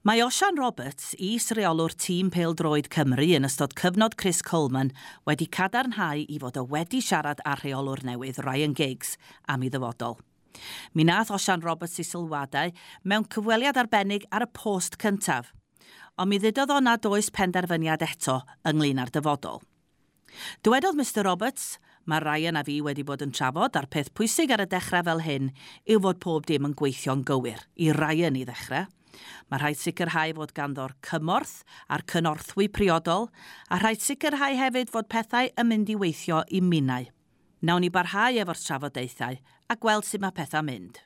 Mae Osian Roberts, is-reolwr tîm pêl-droed Cymru yn ystod cyfnod Chris Coleman, wedi cadarnhau i fod o wedi siarad â'r rheolwr newydd Ryan Giggs am ei ddyfodol. Mi nath Osian Roberts ei sylwadau mewn cyfweliad arbennig ar y Post Cyntaf, ond mi ddudodd o nad oes penderfyniad eto ynglyn â'r dyfodol. Dywedodd Mr Roberts, Mae Ryan a fi wedi bod yn trafod a'r peth pwysig ar y dechrau fel hyn yw fod pob dim yn gweithio'n gywir, i Ryan i ddechrau. Mae rhaid sicrhau fod ganddo'r cymorth a'r cynorthwy priodol, a rhaid sicrhau hefyd fod pethau yn mynd i weithio i minnau. Nawn ni barhau efo'r trafodaethau a gweld sut mae pethau'n mynd.